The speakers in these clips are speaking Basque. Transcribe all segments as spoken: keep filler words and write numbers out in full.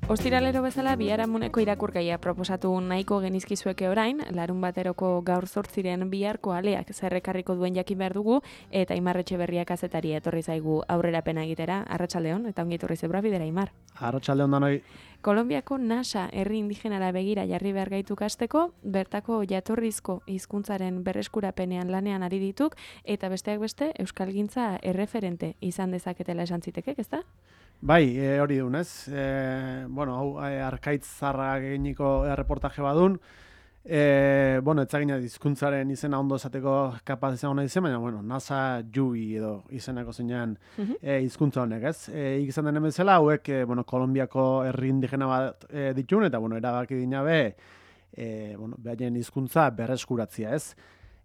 Ostiralero bezala biharamuneko irakurgaia proposatu nahiko genizkizueke orain, larun bateroko gaur zortziren biharko aleak zerrekarriko duen jakin behar dugu, eta Aimar Etxeberria kazetaria etorri zaigu aurrerapena egitera. Arratsaldeon, eta ongi etorri zebra bidera, Aimar. Arratsaldeon danoi. Kolonbiako NASA herri indigenara begira jarri behar gaitu kasteko, bertako jatorrizko hizkuntzaren berreskurapenean lanean ari dituk, eta besteak beste euskalgintza erreferente izan dezaketela esan zitekek, ezta? Bai, e, hori dunez. E, bueno, hau e, arkaitz zarra eginiko erreportaje badun. E, bueno, etzagina hizkuntzaren izena ondo esateko kapaz izango nahi zen, baina, bueno, NASA Jubi edo izeneko zeinan e, hizkuntza honek, ez? E, izan denen bezala, hauek, e, bueno, Kolonbiako herri indigena bat e, ditun, eta, bueno, erabaki dinabe, e, bueno, behaien hizkuntza berreskuratzia, ez?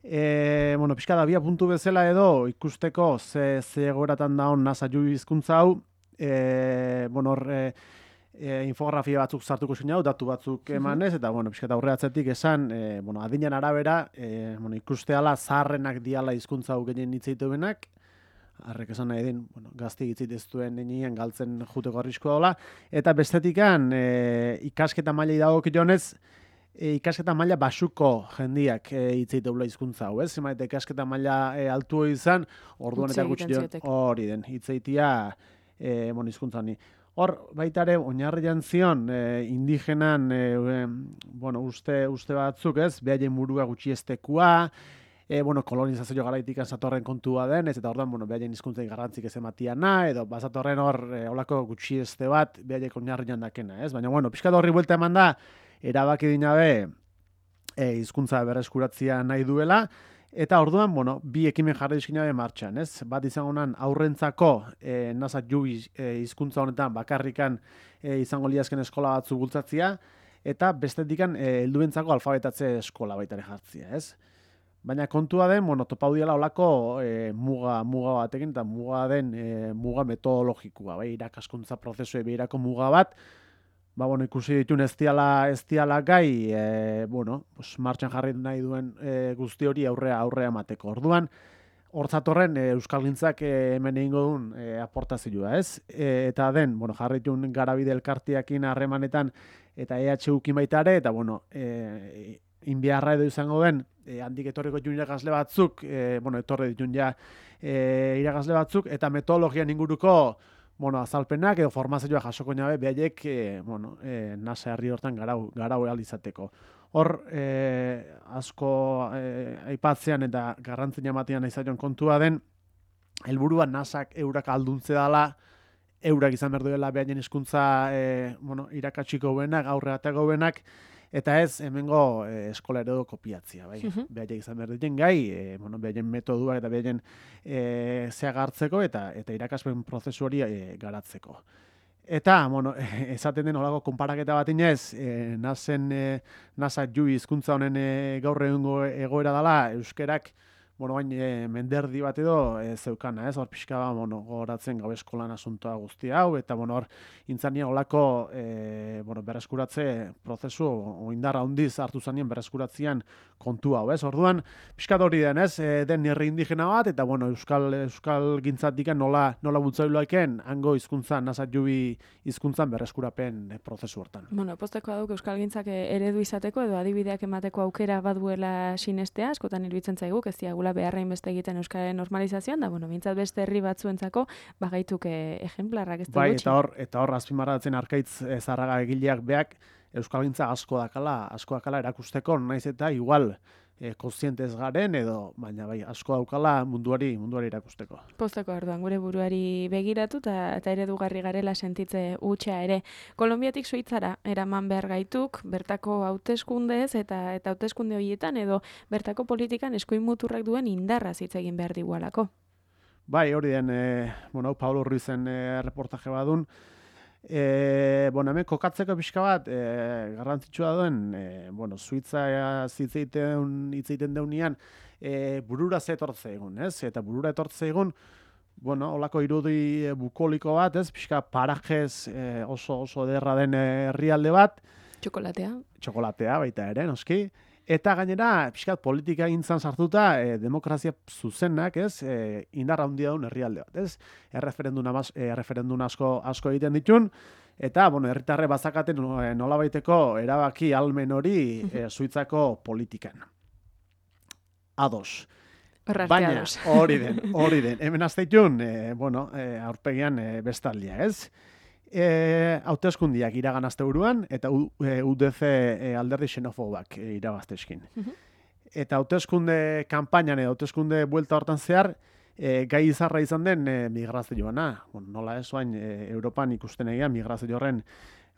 E, bueno, pixka da, bia puntu bezala edo, ikusteko ze, ze egoratan daun NASA Jubi hizkuntza hau, E, bueno, hor, e, e, infografia batzuk sartuko zin hau, datu batzuk emanez, eta, bueno, pixka eta aurreatzetik esan, e, bueno, adinen arabera, e, bueno, ikusteala zaharrenak diala hizkuntza hau gehien hitzeite benak, harrek esan nahi din, bueno, gazti hitzit ez duen nenien galtzen juteko arriskoa dola, eta bestetikan, e, ikasketa mailei dagok jonez, e, ikasketa maila basuko jendiak e, hitzeite dula hizkuntza hau, ez? Zemaite ikasketa maila e, altu izan, orduan eta gutxi hori den, hitzeitia, E, bueno, hizkuntzani. Hor, baitare, oinarrian zion, e, indigenan, e, bueno, uste, uste batzuk, ez, behaien burua gutxiestekua, e, bueno, kolonizazio garaitikan zatorren kontua den, ez, eta orduan, bueno, behaien hizkuntzen garrantzik ez ematiana, edo bazatorren hor, e, holako gutxieste bat, behaiek oinarrian dakena, ez, baina, bueno, pixka da horri buelta eman da, erabaki dinabe, e, hizkuntza berreskuratzia nahi duela, eta orduan, bueno, bi ekimen jarri dizkina martxan, ez? Bat izango nan aurrentzako e, NASA Jubi e, hizkuntza honetan bakarrikan e, izango liazken eskola batzu bultzatzia, eta bestetikan e, helduentzako alfabetatze eskola baitare jartzia, ez? Baina kontua den, bueno, topaudiala olako e, muga, muga batekin, eta muga den e, muga metodologikoa, bai, irakaskuntza prozesue behirako muga bat, ba, bueno, ikusi ditun ez diala, ez diala gai, e, bueno, pues, martxan jarri nahi duen e, guzti hori aurrea aurrea emateko. Orduan, hortzatorren e, euskalgintzak e, hemen egingo duen e, aportazioa, ez? E, eta den, bueno, jarri ditun garabide elkartiakin harremanetan eta E H U-kin baitare, eta, bueno, e, inbiarra edo izango den, e, handik etorriko ditun irakasle batzuk, e, bueno, etorri ditun ja e, irakasle batzuk, eta metodologian inguruko, bueno, azalpenak edo formazioa jasoko nabe, behaiek, e, bueno, e, NASA herri hortan garau, garau izateko. Hor, e, asko e, aipatzean eta garrantzina ematean izaion kontua den, helburua NASAk eurak alduntze dela, eurak izan behar duela behaien hizkuntza e, bueno, irakatsiko benak, aurreateko benak, eta ez, hemengo e, eskola eredu kopiatzia, bai. Uh-huh. Behaiek izan behar duten gai, e, bueno, behaien metodua eta behaien e, zeagartzeko eta eta irakaspen prozesu hori e, garatzeko. Eta, bueno, esaten den olako konparaketa bat inez, e, nasen, e, NASA Jubi hizkuntza honen e, gaur egungo egoera dela, euskerak, bueno, bain e, menderdi bat edo e, zeukana, ez? Hor pixka ba, bueno, gogoratzen gau eskolan asuntoa guzti hau, eta, bueno, hor, intzania olako, e, bueno, berreskuratze prozesu, oindarra handiz hartu zanien berreskuratzean kontu hau, ez? Orduan, pixka hori den, ez? E, den herri indigena bat, eta, bueno, euskal, euskal gintzatik nola, nola bultzailoaken, hango hizkuntzan, NASA Jubi hizkuntzan berreskurapen e, prozesu hortan. Bueno, posteko aduk euskal gintzak eredu izateko, edo adibideak emateko aukera baduela sinestea, askotan iruditzen zaigu, ez diagula beharrain beste egiten euskaren normalizazioan, da, bueno, mintzat beste herri batzuentzako, bagaituk ejemplarrak ez da bai, gutxi. Eta hor, eta hor, azpimarratzen arkaitz e, zarraga egileak beak, euskalgintza asko dakala, asko dakala erakusteko, naiz eta igual e, kontzientez garen, edo, baina bai, asko daukala munduari, munduari erakusteko. Posteko orduan, gure buruari begiratu eta, eta eredugarri garela sentitze hutsa ere. Kolonbiatik Suitzara eraman behar gaituk, bertako hauteskundez eta eta hauteskunde horietan edo bertako politikan eskuin muturrak duen indarra hitz egin behar digualako. Bai, hori den, e, bueno, Pablo Ruizen e, reportaje badun, E, bueno, hemen kokatzeko pixka bat, e, garrantzitsua duen, e, bueno, Suitza zitzeiten hitzeiten deunean, e, burura zetortze egun, ez? Eta burura etortze egun, bueno, holako irudi bukoliko bat, ez? Pixka parajez e, oso oso derra den herrialde bat. Txokolatea. Txokolatea baita ere, noski. Eta gainera, pixkat politika gintzan sartuta, e, demokrazia zuzenak, ez, e, indar handia duen herrialde bat, ez? Erreferendun, amaz, e, erreferendun asko, asko egiten ditun, eta, bueno, herritarre bazakaten nolabaiteko erabaki almen hori e, Suitzako politikan. Ados. Baina, hori den, hori den. Hemen azteitun, e, bueno, e, aurpegian e, bestaldia, ez? E, hauteskundiak iragan asteburuan eta U D C e, alderdi xenofobak e, irabazteskin. Eta hauteskunde kanpainan edo hauteskunde buelta hortan zehar, e, gai izarra izan den e, migrazioana. Bueno, nola ez oain, e, Europan ikusten egia migrazio horren,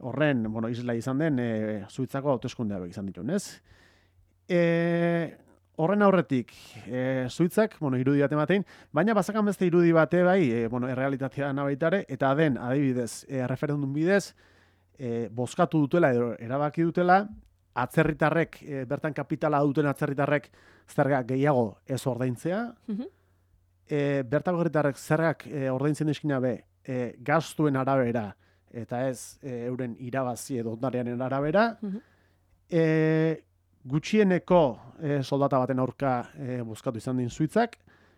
horren bueno, isla izan den e, Suitzako hauteskundea izan ditun, ez? E, Horren aurretik, e, Suitzak, bueno, irudi bat ematein, baina bazakan beste irudi bate bai, e, bueno, errealitatea nabaitare, eta den, adibidez, e, referendum bidez, e, bozkatu dutela, edo erabaki dutela, atzerritarrek, e, bertan kapitala duten atzerritarrek zerga gehiago ez ordaintzea, mm-hmm. e, bertako herritarrek zergak e, ordaintzen eskina be, e, gastuen arabera, eta ez e, euren irabazi edo ondarearen arabera, mm-hmm. e, gutxieneko e, soldata baten aurka e, bozkatu izan din Suitzak,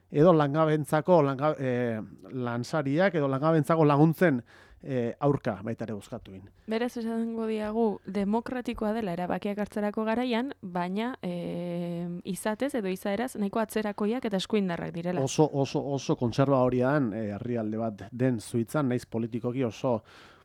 edo langabentzako langa, e, lansariak, edo langabentzako laguntzen e, aurka baita ere bozkatuin. Beraz, esango diagu, demokratikoa dela erabakiak hartzerako garaian, baina e, izatez edo izaeraz nahiko atzerakoiak eta eskuindarrak direla. Oso, oso, oso kontserba horian herrialde e, bat den Suitzan, naiz politikoki oso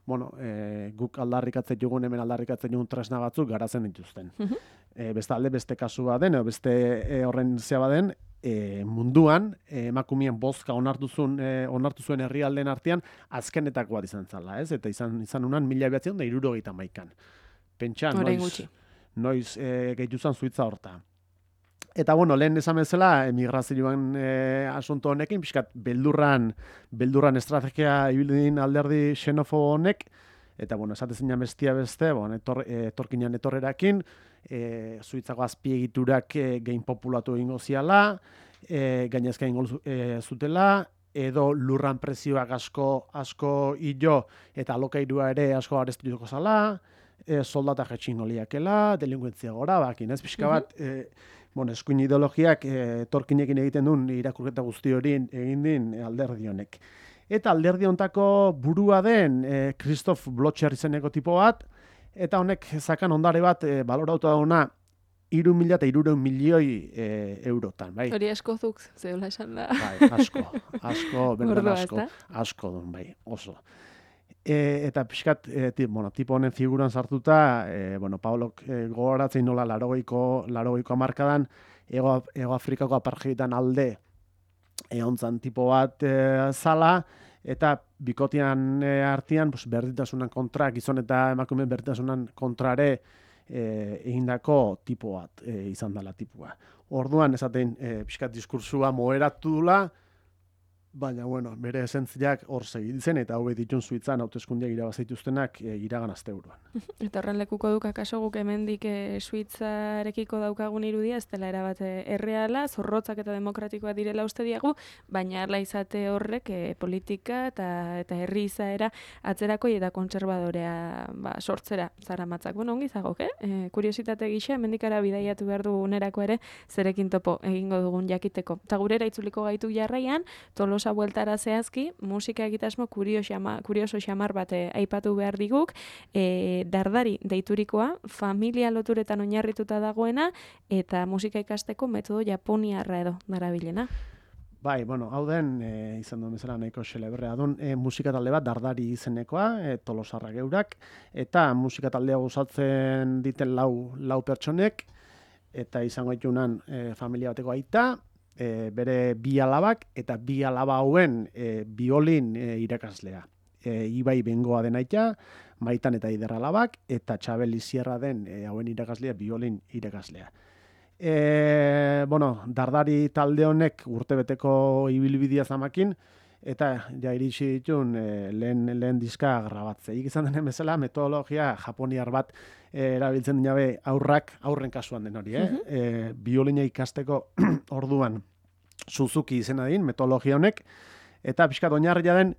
bueno, e, guk aldarrikatzen jugun, hemen aldarrikatzen jugun tresna batzuk garatzen dituzten. Uh-huh. e, beste alde, beste kasu baden, edo beste e, horren zea baden, e, munduan, e, emakumien bozka onartu zuen, e, onartu zuen herrialdeen artean, azkenetako bat izan zala, ez? Eta izan, izan unan mila behatzen da irurogeita maikan. Pentsa, noiz, noiz e, gehituzan Suitza horta. Eta, bueno, lehen esan bezala, emigrazioan e, asunto honekin, pixkat, beldurran, beldurran estrategia ibilin alderdi xenofobo honek, eta, bueno, esate zinan bestia beste, bon, etor, e, etorkinan etorrerakin, e, Suitzako azpiegiturak e, gehin populatu egingo ziala, e, gainezka egingo e, zutela, edo lurran prezioak asko, asko hilo, eta alokairua ere asko areztuko zala, e, soldata jetxingo liakela, delinkuentzia gora, bakin, ez pixka bat, e, bueno, eskuin ideologiak e, torkinekin egiten duen irakurketa guzti hori egin din alderdi honek. Eta alderdi hontako burua den e, Christoph Blocher izeneko tipo bat, eta honek zakan ondare bat e, balorauta dauna iru mila eta irureun milioi e, eurotan. Bai. Hori asko zuk, zeula esan da. Bai, asko, asko, berdan asko, asko duen, bai, oso. E, eta pixkat, e, tip, bueno, tipo honen figuran sartuta, e, bueno, Paulok e, gogoratzen nola larogeiko, larogeiko amarkadan, Ego, Ego Afrikako apartheidan alde egontzan tipo bat e, zala, eta bikotian e, artean pues, berdintasunan kontra, gizon eta emakumeen berdintasunan kontrare e, egindako tipo bat e, izan dela tipua. Orduan, esaten, e, pixkat diskursua moheratu dula, baina, bueno, bere esentziak hor segitzen, eta hau ditun Suitzan hauteskundeak irabazaituztenak e, iragan asteburuan. Eta horren lekuko duk akaso guk hemendik e, Suitzarekiko daukagun irudia, ez dela erabat erreala, zorrotzak eta demokratikoa direla uste diagu, baina arla izate horrek e, politika eta eta herri izaera atzerakoi eta kontserbadorea ba, sortzera zara matzak. Bueno, ongi zagok, eh? E, kuriositate gisa, hemendikara bidaiatu behar du unerako ere, zerekin topo egingo dugun jakiteko. Eta gurera itzuliko gaitu jarraian, Tolos bueltara zehazki, musika egitasmo kurioso xamar bat aipatu behar diguk, e, dardari deiturikoa, familia loturetan oinarrituta dagoena, eta musika ikasteko metodo japoniarra edo darabilena. Bai, bueno, hau den, e, izan duen bezala nahiko xelebrea duen, e, musika talde bat dardari izenekoa, e, Tolosarra geurak, eta musika taldea gozatzen diten lau, lau pertsonek, eta izango ditunan e, familia bateko aita, E, bere bi alabak eta bi alaba hauen e, biolin e, irakaslea. E, Ibai Bengoa den aita, Maitan eta Ider alabak, eta Txabel Izierra den e, hauen irakaslea biolin irakaslea. E, bueno, dardari talde honek urtebeteko ibilbidea zamakin, eta ja iritsi ditun e, lehen, lehen diska grabatze. Izan denen bezala metodologia japoniar bat e, erabiltzen dinabe aurrak, aurren kasuan den hori, eh? Uh-huh. e, biolina ikasteko orduan Suzuki izena din, metodologia honek, eta pixkat oinarria den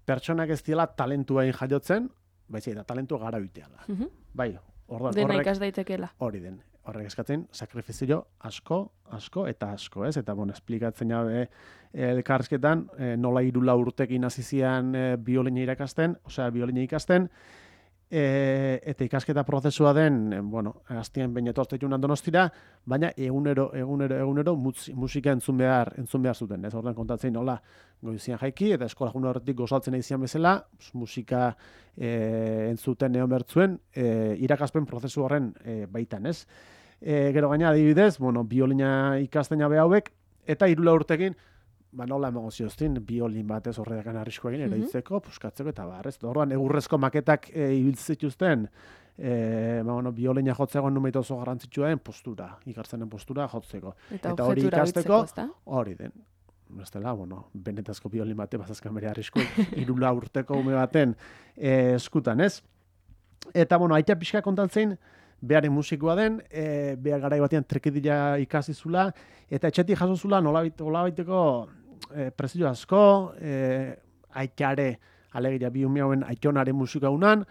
pertsonak ez diela talentuain jaiotzen, baizik eta talentua gara biteala. Uh-huh. Bai, orduan dena ikas daitekeela. Hori den. horrek eskatzen sakrifizio asko, asko eta asko, ez? Eta, bueno, esplikatzen jabe elkarrizketan, e, nola irula urtekin hasi zian e, biolina irakasten, osea, biolina ikasten, e, eta ikasketa prozesua den, e, bueno, aztien behin etortzetunan Donostira, baina egunero, egunero, egunero musika entzun behar, entzun behar zuten, ez? Ordan kontatzen nola goizian jaiki, eta eskola juna horretik gozaltzen izan bezala, musika e, entzuten egon bertzuen, e, irakaspen prozesu horren e, baitan, ez? E, gero gaina adibidez, bueno, biolina ikasten jabe hauek, eta hirula urtekin, ba nola emango zioztin, biolin batez horredakan arriskoa egin, eraitzeko, puskatzeko eta bar, ez? Orduan egurrezko maketak e, ibiltzen zituzten, e, ba, bueno, biolina jotzeko numeit oso garrantzitsua den postura, ikarzenen postura jotzeko. Eta, eta hori ikasteko, biltzeko, hori den. Bestela, bueno, benetazko biolin bate bazazkan bere arrisko, hirula urteko ume baten e, eskutan, ez? Eta, bueno, aita pixka kontatzen, beharen musikoa den, e, behar garai batean trekidila ikasi zula, eta etxetik jaso zula nolabaiteko e, prezio asko, e, aitare, alegia bi ume hauen aitonaren musika unan,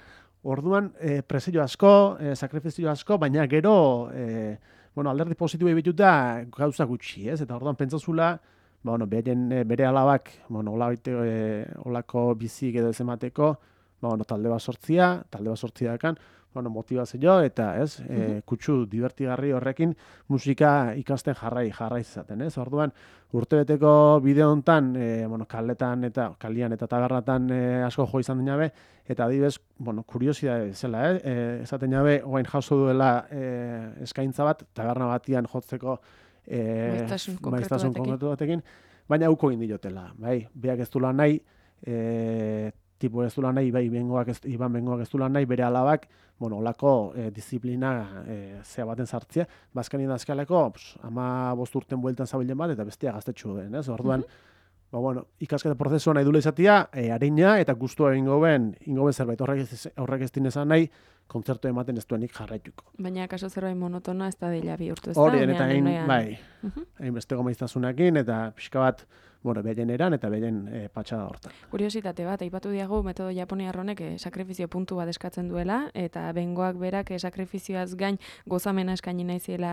orduan e, prezio asko, e, sakrifizio asko, baina gero, e, bueno, alderdi positibo ebituta gauza gutxi, ez? Eta orduan pentsazula, ba, bueno, beren, bere alabak, bueno, olabaiteko, e, olako bizik edo ez emateko, ba, bueno, talde bat sortzia, talde bat sortzia dakan, bueno, motivazio eta, ez, mm -hmm. e, kutsu divertigarri horrekin musika ikasten jarrai, jarrai izaten, ez? Orduan, urtebeteko bideo hontan, e, bueno, kaletan eta kalian eta taberratan e, asko jo izan dinabe, eta adibez, bueno, kuriosidade zela, eh? E, esaten jabe, oain jauzo duela e, eskaintza bat, taberna batian jotzeko e, maiztasun konkretu batekin, baina auko egin diotela, bai, beak ez dula nahi, e, tipo ez dula nahi, bai, bengoak ez, Iban bengoak ez dula nahi, bere alabak, bueno, olako e, disiplina e, zea baten sartzea, bazkani dazkaleko, ama bost urten bueltan zabilen bat, eta bestia gaztetxu den, ez? Orduan, mm-hmm. ba, bueno, ikasketa prozesua nahi dula izatea, e, harina eta gustua egingo ben, ingo ben zerbait, horrek ez, horrek ez dinezan nahi, kontzertu ematen ez duenik jarraituko. Baina, kaso zerbait monotona ez da dela bihurtu ez da? Hori, eta hain, bai, hain uh-huh. bestego maiztasunakin, eta pixka bat, bueno, behen eran eta behen e, patxada hortan. Kuriositate bat, aipatu diagu metodo japoniarronek e, sakrifizio puntu bat eskatzen duela, eta bengoak berak e, sakrifizioaz gain gozamena eskaini nahiziela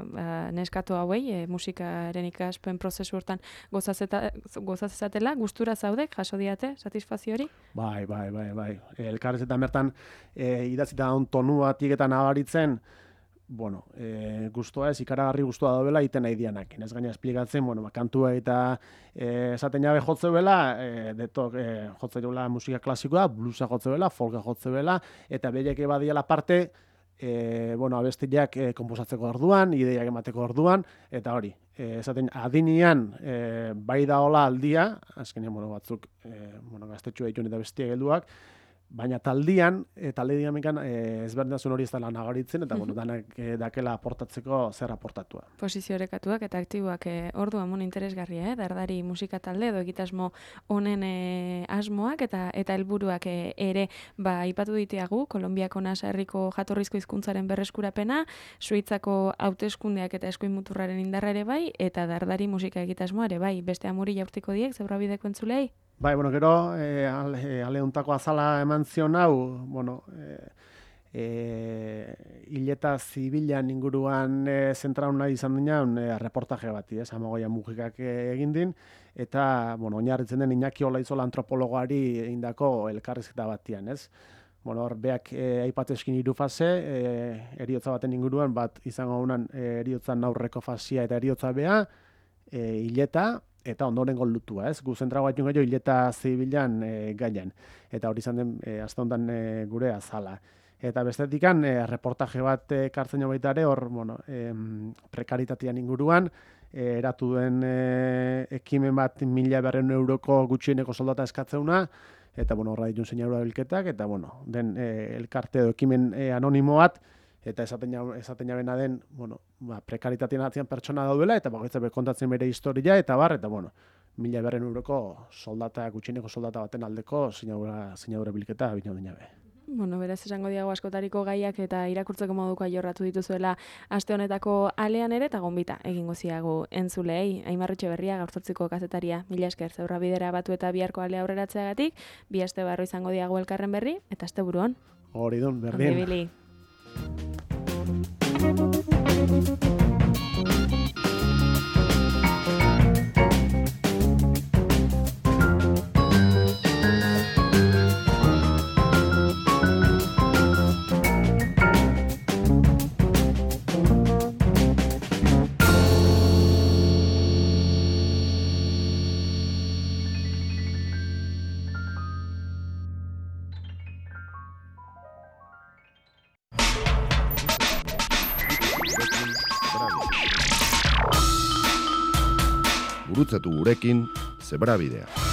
ba, neskato hauei, e, musikaren ikaspen prozesu hortan gozazezatela, gustura zaudek, jaso diate, satisfazio hori? Bai, bai, bai, bai. Elkarrezetan bertan e, idatzita on tonu batik eta nabaritzen, bueno, e, guztua ez, ikaragarri guztua dobela iten nahi dianakin. Ez gaina esplikatzen, bueno, kantua eta e, esaten jabe jotze bela, e, detok e, jotze bela musika klasikoa, bluesa jotze bela, folka jotze bela, eta beiek badiela parte, e, bueno, abestiak e, komposatzeko orduan, ideiak emateko orduan, eta hori, e, esaten adinian e, bai da hola aldia, azkenean, bueno, batzuk, e, bueno, gaztetxua ditun eta bestiak helduak, baina taldian, e, talde dinamikan e, ezberdintasun hori ez dela nagaritzen, eta bueno, danak e, dakela aportatzeko zer aportatua. Posizio orekatuak eta aktiboak e, orduan mon interesgarria, eh? Dardari musika talde edo egitasmo honen e, asmoak eta eta helburuak e, ere ba aipatu diteagu, Kolonbiako Nasa herriko jatorrizko hizkuntzaren berreskurapena, Suitzako hauteskundeak eta eskuin muturraren indarra ere bai, eta Dardari musika egitasmoa ere bai, beste amuri jaurtiko diek, zebrabideko entzulei? Bai, bueno, gero, e, ale, aleuntako azala eman zion hau, bueno, e, e, hileta zibilan inguruan e, zentraun nahi izan dinan e, reportaje bati, ez, amagoia mugikak egin din, eta, bueno, oinarritzen den Iñaki Olaizola antropologoari egindako elkarrizketa batian, ez. Bueno, hor, beak e, aipateskin hiru fase, e, eriotza baten inguruan, bat izango unan e, eriotzan aurreko fasia eta eriotza bea, e, hileta, eta ondorengo lutua, ez? Gu zentrago bat gehiago hileta zibilan e, gaian. Eta hori izan den, e, azte honetan e, gure azala. Eta bestetikan, e, reportaje bat ekartzen jo baita ere, hor, bueno, e, prekaritatean inguruan, e, eratu duen e, ekimen bat mila berreun euroko gutxieneko soldata eskatzeuna, eta, bueno, horra ditun zeinaura bilketak, eta, bueno, den e, elkarte edo ekimen e, anonimo bat, eta esaten jabena den, bueno, ba, prekaritatean atzian pertsona daudela, eta bagoitza kontatzen bere historia, eta bar, eta bueno, mila berren euroko soldata, gutxieneko soldata baten aldeko zinaura bilketa bina dinabe. Bueno, beraz esango diago askotariko gaiak eta irakurtzeko moduko jorratu dituzuela aste honetako alean ere, eta gonbita egingo ziagu entzulei. Aimar Etxeberria, gaurzotziko kazetaria, mila esker zeurra bidera batu eta biharko alea aurreratzeagatik, bi aste barro izango diago elkarren berri, eta aste buruan. Hori dun, berdin. Thank you. Gurutzatu gurekin Zebrabidea.